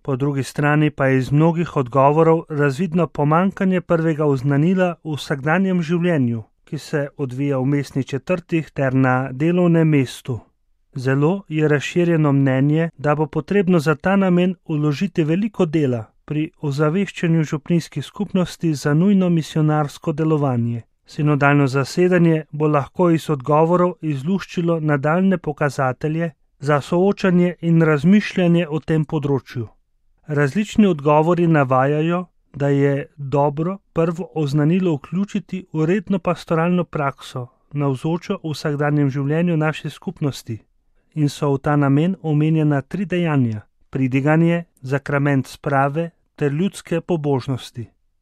Po drugi strani pa je iz mnogih odgovorov razvidno pomanjkanje prvega oznanila v vsakdanjem življenju, ki se odvija v mestnih četrtih ter na delovnem mestu. Zelo je razširjeno mnenje, da bo potrebno za ta namen vložiti veliko dela pri ozaveščanju župnijskih skupnosti za nujno misijonarsko delovanje. Sinodalno zasedanje bo lahko iz odgovorov izluščilo nadaljne pokazatelje za soočanje in razmišljanje o tem področju. Različni odgovori navajajo, da je dobro prvo oznanilo vključiti v redno pastoralno prakso, navzočo v vsakdanjem življenju naše skupnosti, in so v ta namen omenjena 3 dejanja: pridiganje, zakrament sprave ter ljudske pobožnosti.